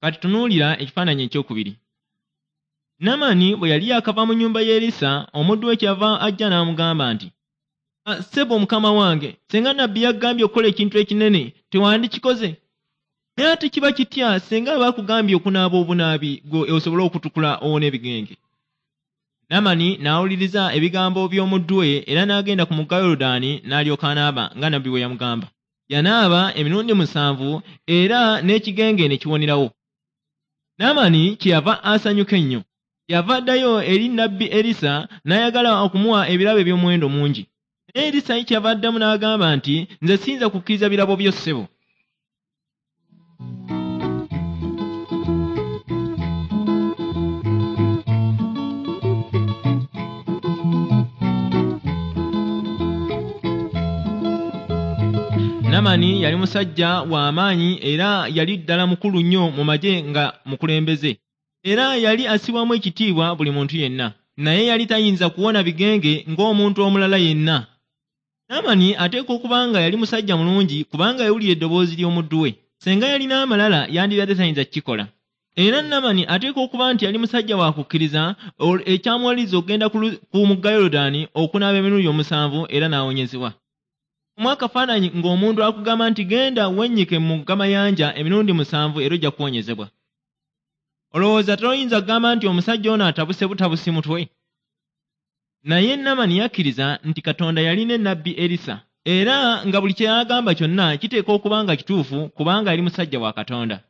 Kati tunuulira ekifaananyi ekyokubiri. Naamani bwe yali yakava mu nnyumba y'Erisa, omuddu we kyava ajja n'amugamba nti, "Ssebo mukama wange, singa nabbi yaggambye okukola ekintu ekinene, tewandikikoze? Naye ate kiba kitya singa bakugambye okunaaba obunaabi gwe osobole okutukula owone ebigenge?" Naamani n'awuliriza ebigambo by'omuddu we era n'agenda ku mugga Yoludaani n'alyoka anaaba nga nabbi bwe yamugamba. Yanaaba emirundi 7 era n'ekigenge ne kiwonerawo. Naamani kyeyava asanyuka ennyo. Yava addayo eri nabbi Erisa n'ayagala okumuwa ebirabo eby'omuwendo mungi. Naye Erisa kyeyava addamu n'agamba nti, "Nze siyinza kukkiriza birabo byo ssebo." Naamani yali musajja wa maanyi era yali ddala mukulu nnyo mu magye nga mukulembeze. Era yali assibwamu ekitiibwa buli muntu yenna. Naye yali tayinza kuwona bigenge ng'omuntu omulala yenna. Naamani ateekwa okuba nga yali musajja mulungi kubanga yawulira eddoboozi ly'omuddu we. Singa yalina amalala yandibadde tayinza kukikola. Era Naamani ateekwa okuba nti yali musajja wa kukkiriza ekyamuwaliriza okugenda ku mugga Yoludaani okunaaba emirundi 7 era n'awonyezebwa. Mu akafaananyi ng'omuntu akugamba nti genda wennyike mu gamayanja emirundi 7 era ojja kuwonyezebwa. Olowooza toyinza kugamba nti omusajja ono atabuse butabusi mutwe? Naye Naamani yakkiriza nti Katonda yalina ennabbi Erisa era nga buli kye yagamba kyonna kiteekwa okuba nga kituufu kubanga yali musajja wa Katonda.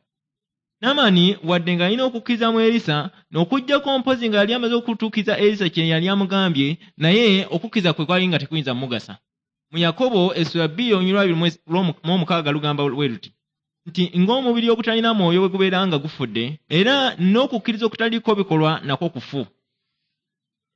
Naamani wadde ng'alina okukkiriza mu Erisa n'okuggyako mpozi nga yali amaze okutuukiriza Erisa kye yali amugambye, naye okukkiriza kwe kwali nga tekuyinza mugasa. Mu Yakobo essula 2:26 lugamba bwe luti nti ng'omubiri ogutalina mwoyo bwe gubeera nga gufudde, era n'okukkiriza okutaliiko bikolwa nakwo kufu.